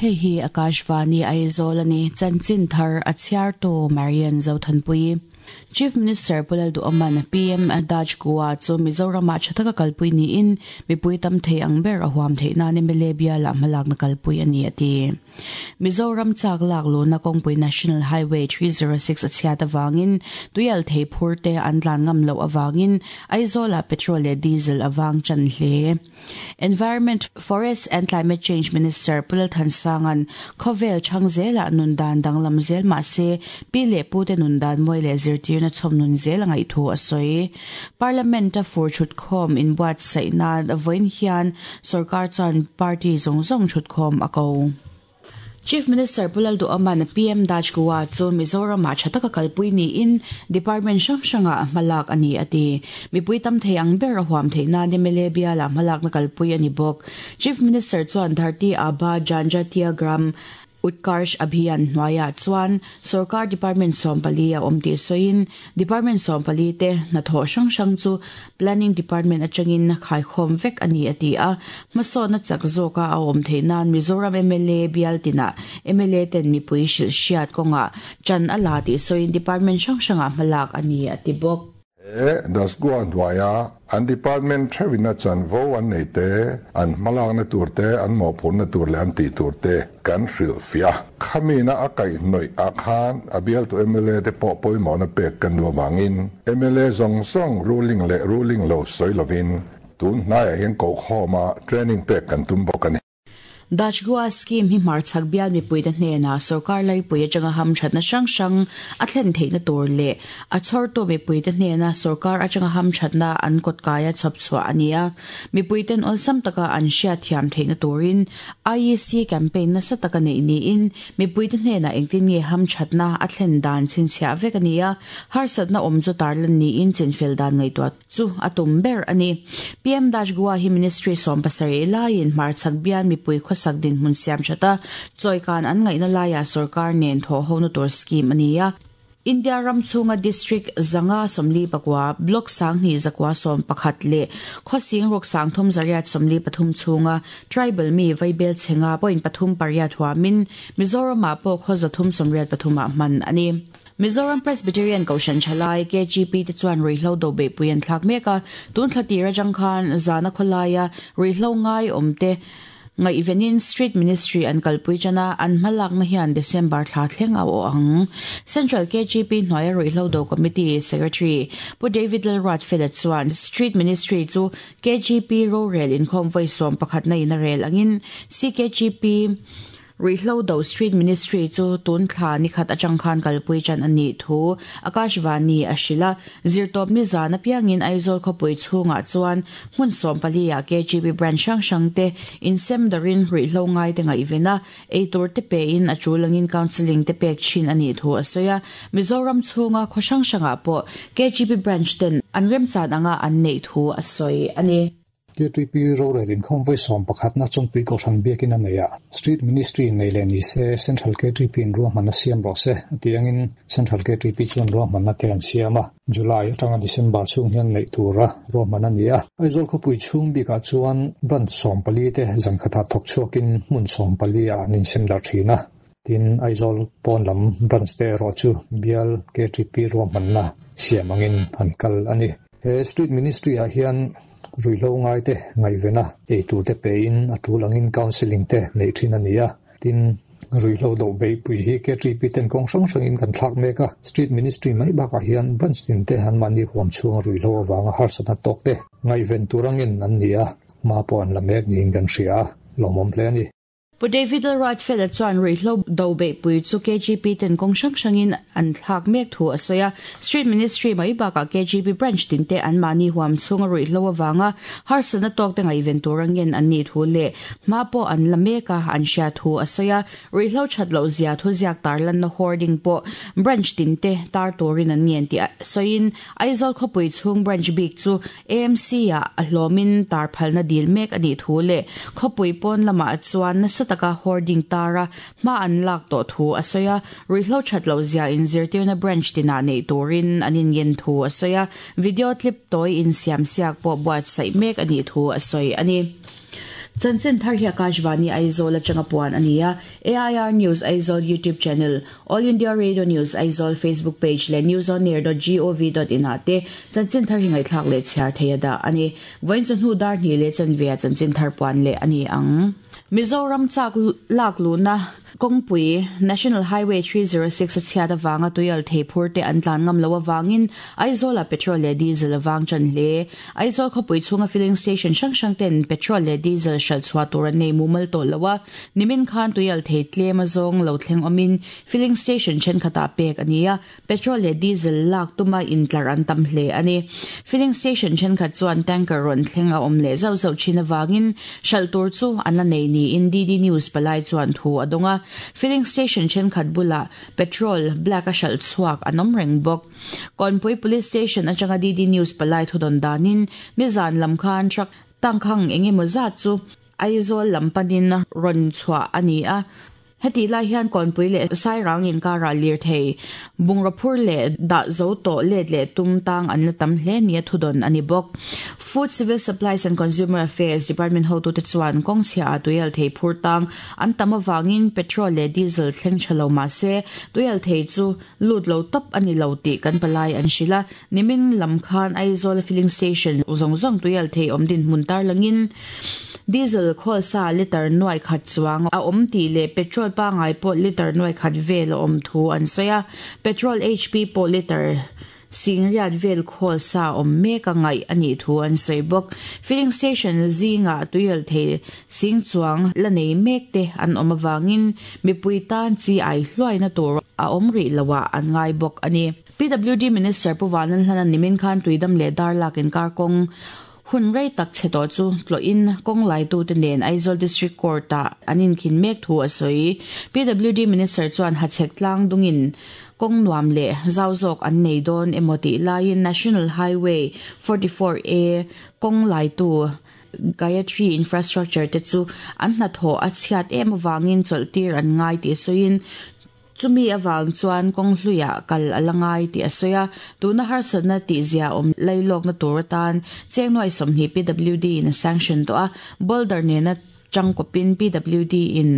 Hei hi Akashvani Aizawl a ni. Chanchin thar a chhiartu Marian Zothanpui. Chief Minister Pu Lalduhawman PM Dutch Goa chu Mizoramah tha taka kalpui niin mipui tam thei ang ber a huam theih nan mla bialah hmalakna kalpui a ni a ti. Mizoram chak lak luhna kawngpui National Highway 306 a chhiat avangin tuial thei phur te an tlan ngam loh avangin Aizawlah petrol leh diesel a vang tan hle. Environment, Forest and Climate Change Minister Pu Lalthansanga'n khawvel chhang zelah nun dan danglam zel mah se pi leh pute nun dan mawi leh zirtirna chhawm nun zel a ngaih thu a sawi. Parliament-a fur chhutkhawm inbuatsaih nan vawiin hian sorkar chuan party zawng zawng chhutkhawm a ko. Chief Minister Pu Lalduhawman PM Dutch Goa chu Mizoramah tha taka kalpui niin department hrang hrangah hmalak a ni a ti. Mipui tam thei ang ber a huam theih nan mla bialah hmalakna kalpui a ni bawk. Chief Minister chuan Dharti Abha Janjatiya Gram Utkarsh Abhiyan hnuaiah chuan sorkar department 14 a awm tih sawiin department 14 te hnathawh hrang hrang chu Planning Department atangin khaikhawm vek a ni a ti a. Hmasawnna chak zawka a awm theih nan Mizoram mla bial tinah mla ten mipui hrilh hriat kawngah ṭan a la tih sawiin department hrang hrangah hmalak a ni a ti bawk. He Dasgua hnuaia an department theuhina chanvo an nei te, an hmalakna tur te, an mawhphurhna tur leh an tih tur te kan hrilhfiah a. Khamina a kaihhnawih ah khan a bialtu mla te pawh pawimawhna pek kan duh avangin mla zawng zawng ruling leh ruling lo sawi lovin tun hnaiah hian kohkhawma training pek kan tum bawk a ni. Dutch Goa Scheme hi hmarchhak bial mipuite hnenah sorkar laipui atanga hamthatna hrang hrang a thlen theihna tur leh a chhawrtu mipuite hnena sorkar atanga hamthatna an kawtkaia chhawp chhuah a ni a. Mipuiten awlsam taka an hriatthiam theihna turin IEC campaign nasa taka neih niin mipuite hnenah engtin nge hamthatna a thlen dan chhinchhiah vek a ni a, harsatna awm chu tarlan niin chinfel dan ngaihtuah Chu a tum ber a ni. PM Dutch Goa hi Ministry 17 laiin hmarchhak bial mipui khawsak dinhmun siam that a, chawikan an ngaihna laiah sorkar nen thawhhona tur scheme a ni a. India ram chhunga District 549, Block 2111 leh khawsing ruk 383 chhunga Tribal mi vaibel chhenga point pathum pariat huamin Mizoramah pawh khaw 383 ah hman a ni. Mizoram Presbyterian Kohhran Thalai, KGP, te chuan ruihhlo do beihpui an thlak mek a, tun thla tir atang khan zana khawlaia ruihhlo ngai awmte ngaihvenin Street Ministry an kalpui tan a, an hmalakna hian December thla thleng a awh ang. Central KGP hnuaia ruihhlo do Committee Secretary Pu David Lalruatfela chuan Street Ministry chu KGP rorel inkhawm vawi 11 in a rel angin CKGP Ruihhlo do Street Ministry chu tun thla ni khat atang khan kalpui tan a nih thu Akashvani a hrilh a. Zirtawp ni zan apiangin Aizawl khawpui chhungah chuan hmun 14 ah KGB branch hrang hrang te insem darin ruihhlo ngai te ngaihven a, eitur te pein a tul angin counselling te pek thin a nih thu a sawi a. Mizoram chhunga khaw hrang hrangah pawh KGB branch ten an remchan anga an neih thu a sawi a ni. KTP rorel inkhawm vawi 11na Chawngpui Kohhran biakin a nei a, Street Ministry nei leh ni se Central KTP in ruahmanna siam rawh se a tih angin Central KTP chuan ruahmanna te an siam a, July atanga December chhung hian neih tura ruahman a ni a. Aizawl khawpui chhung bikah chuan branch 14 te zan khatah thawk chhuakin hmun 14 ah an insem darh thin a, tin Aizawl pawn lam branch te erawh chu bial KTP ruahmanna siam angin an kal a ni. He Street Ministry ah hian ruihhlo ngai te ngaihven a, eitur te pein a tul angin counselling te neih thin a ni a, tin ruihhlo doh beihpui hi KTP ten kawng hrang hrangin kan thlak mek a, Street Ministry mai bakah hian branch tin te anmahni huam chhunga ruihhlo avanga harsatna tawk te ngaihven tur angin an ni a, hma pawh an la mek niin kan hria a, lawmawm hle a ni. Pu David Lalruatfela chuan ruihhlo do beihpui chu KGP ten kawng hrang hrangin an thlak mek thu a sawi a. Street Ministry mai bakah KGP branch tin te anmahni huam chhunga ruihhlo avanga harsatna tawk te ngaihven tura ngen an nih thu leh hma pawh an la mek a an hria thu a sawi a. Ruihhlo that loh zia thuziak tarlanna hoarding pawh branch tin te tar turin an ngen tih sawiin Aizawl khawpui chhung branch bik chu AMC-ah a hlawmin tar phalna dil mek a nih thu leh khawpui pawn lamah chuan nasa taka hoarding tara hma an lak tawh thu a sawi a, ruihhlo that loh zia inzirtirna branch tinah neih turin an inngen thu a sawi a, video clip tawi insiamsiak pawh buatsaih mek a nih thu a sawi a ni. Chanchin thar hi Akashvani Aizawl atanga puan a ni a, AIR News Aizawl YouTube channel, All India Radio News Aizawl Facebook page leh newsonair.gov.in ah te chanchin thar hi ngaihthlak leh chhiar thei a dah a ni. Vawiin chawhnu dar hnih leh chanve ah chanchin thar puan leh a ni ang. Mizoram chak lak luhna Kawngpui, National Highway 306 a chhiat avanga tuial thei phur te an tlan ngam loh avangin Aizawlah petrol leh diesel a vang tan hle. Aizawl khawpui chhunga filling station hrang hrang ten petrol leh diesel hralh chhuah tur an nei mumal tawh lo a, nimin khan tuial thei tlem a zawng lo thleng awmin filling station thenkhatah pek a ni a, Petrol leh diesel lak tuma intlar an tam hle a ni. Filling station thenkhat chuan tanker rawn thleng a awm leh zauh zauh thin avangin hralh tur chu an la nei niin DD News palai chuan thu a dawng a. Filling station thenkhat bulah petrol black a hralh chhuak an awm reng bawk. Kawnpui Police Station atanga DD News palai thudawn danin nizan lam khan truck tangkhang engemaw zat chu Aizawl lam panin rawn chhuah a ni a. Hetih lai hian Kawnpui leh Sairang inkarah lirthei, bungraw phur leh dah zo tawh let leh tum tang an la tam hle nia thudawn a ni bawk. Food, Civil Supplies and Consumer Affairs Department hotute chuan kawng chhiaah tuial thei phur tang an tam avangin petrol leh diesel thleng tha lo mah se tuial thei chu lut lo tawp a ni lo tih kan palai an hrilh a. Nimin lam khan Aizawl filling station zawng zawng tuial thei awm dinhmun tarlangin diesel khawl sa litre nuai khat chuang a awm tih leh petrol pangngai pawh litre nuai khat vel a awm thu an sawi a. Petrol HP pawh litre singriat vel khawl sa awm mek a ngaih a nih thu an sawi bawk. Filling station zingah tuial thei sing chuang la nei mek te an awm avangin mipui tan chi ai hluaina tur a awm rih loah an ngai bawk a ni. PWD Minister Pu Vanlalhlana nimin khan Tuidam leh Darlak inkar kawng hun rei tak chhe tawh chu tlawhin kawng laitute nen Aizawl District Court-ah an inkhin mek thu a sawi. PWD Minister chuan hachhek tlang dungin kawng nuam leh zau zawk an nei dawn emaw tih laiin National Highway 44A kawng laitu Gayatri Infrastructure te chu an hnathawh a chhiat em avangin chawlhtir an ngai tih sawiin Chumi avang chuan kawng hluiah kal a la ngai tih a sawi a, tuna harsatna tihzia awm lailawkna tur atan cheng nuai 20 PWD in a sanction tawh a, boulder nena tangkawpin PWD in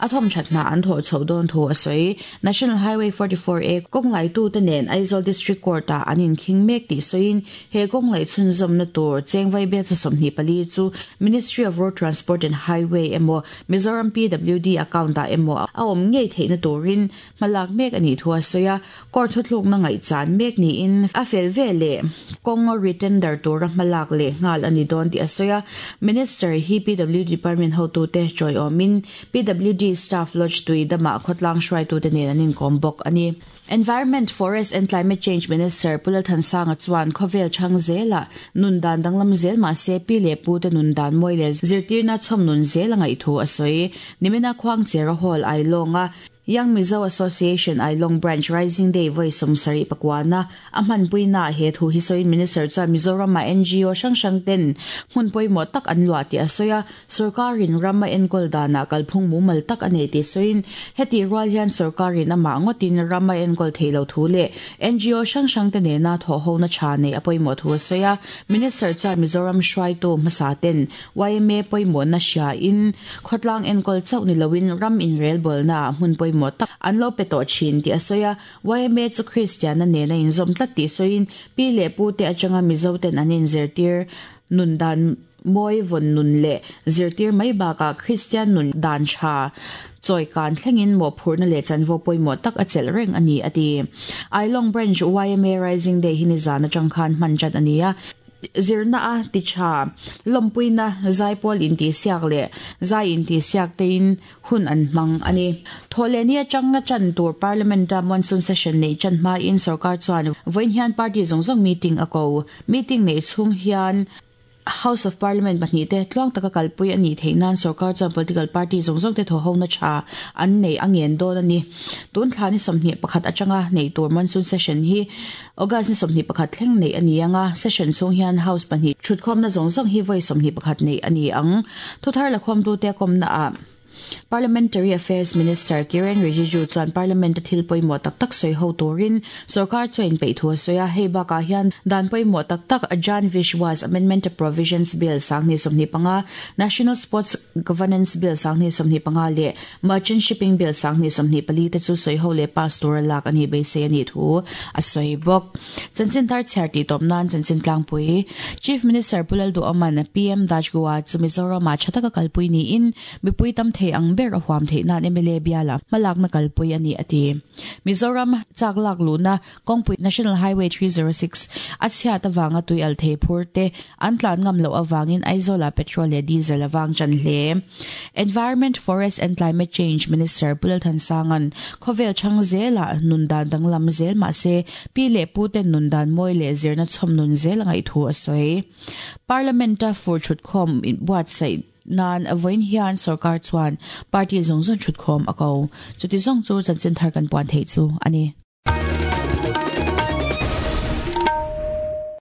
a thawmthat hna an thawh chhoh dawn thu a sawi. National Highway 44A kawng laitute nen Aizawl District Court ah an inkhing mek tih sawiin he kawng laih chhunzawmna tur cheng vaibelcha 24 chu Ministry of Road Transport and Highway emaw Mizoram PWD account ah emaw a awm ngei theihna turin hma lak mek a nih thu a sawi a, court thuthlukna ngaihchan mek niin a fel ve leh kawng re-tender tura hma lak leh nghal a ni dawn tih a sawi a. Minister hi PWD department hotute tawiawmin PWD staff lodge tui damah khawtlang hruaitute nen an inkawm bawk a ni. Environment, Forest and Climate Change Minister Pu Lalthansanga chuan khawvel chhang zelah nun dan danglam zel mah se pi leh pu te nun dan mawi leh zirtirna chhawm nun zel a ngaih thu a sawi. Nimina Khuangchera Hall Ailawng-a Young Mizo Association Ailawng Branch Rising Day vawi 70 pakuana a hmanpuinaah he thu hi sawiin Minister chuan Mizoram-ah ngo hrang hrang ten hmun pawimawh tak an luah tih a sawi a. Sorkarin ram a enkawl danah kalphung mumal tak a nei tih sawiin, hetih rual hian sorkarin amah ngawtin ram a enkawl theih loh thu leh ngo hrang hrangte nena thawhhona tha neih a pawimawh thu a sawi a. Minister chuan Mizoram hruaitu hmasa ten yma pawimawhna hriain khawtlang enkawl chauh ni loin ram inrelbawlnaah hmun pawimawh tak an lo pe tawh thin tih a sawi a. Yma chu Kristianna nena inzawm tlat tih sawiin, pi leh pute atanga Mizoten an inzirtir nun dan Mawi vawn nun leh zirtir mai bakah Kristian nun dan tha chawi kan thlengin mawhphurhna leh chanvo pawimawh tak a chelh reng a ni, a ti. Ailawng Branch yma Rising Day hi nizan atang khan hman chat a ni a, zirna a ti tha, lawmpuina, zaipawl intihsiak leh zai intihsiak tein hun an hmang a ni. Thawhlehni atanga chan tur Parliament-a monsoon session neih chan hmain sorkar chuan vawiin hian party zawng zawng meeting a ko. Meeting neih chhung hian House of Parliament pahnihte tluang taka kalpui a nih theih nan sorkar chuan political party zawng zawngte thawhhona tha an neih a ngen dawn a ni. Tun thla ni 21 atanga neih tur monsoon session hi August ni 21 thleng neih a ni ang a, session chhung hian House pahnih thutkhawmna zawng zawng hi vawi 21 neih a ni ang. Thuthar lakhawmtute kawmnaah. Parliamentary Affairs Minister Kiren Rijiju chuan Parliament-a thil pawimawh tak tak sawi ho turin sorkar chu a inpeih thu a sawi a, hei bakah hian dan pawimawh tak tak Jan Vishwas Amendment Provisions Bill 2025, National Sports Governance Bill 2025 leh Merchant Shipping Bill 2024 te chu sawi ho leh pass tura lak a nih beisei a nih thu a sawi bawk. Chanchin thar chhiar tih tawp nan chanchin tlangpui Chief Minister Pu Lalduhawma'n PM Dajgua chu Mizoramah tha taka kalpui niin mipui tam thei ang ber a huam theih nan mla biala hmalakna kalpui a ni a ti. Mizoram chak lak luhna kawngpui National Highway 306 a chhiat avanga tui al thei phur te an tlan ngam loh avangin Aizawlah petrol leh diesel a vang tan hle. Environment, Forest and Climate Change Minister Pu Lalthansanga'n khawvel chhang zelah nun dan danglam zel mahse pi leh pu ten nun dan mawi leh zirna chhawm nun zel a ngaih thu a sawi. Parliament-a fur thutkhawm buatsaih nan vawiin hian sorkar chuan party zawng zawng thutkhawm a ko. Chuti zawng chu chanchin thar kan puan theih chu a ni.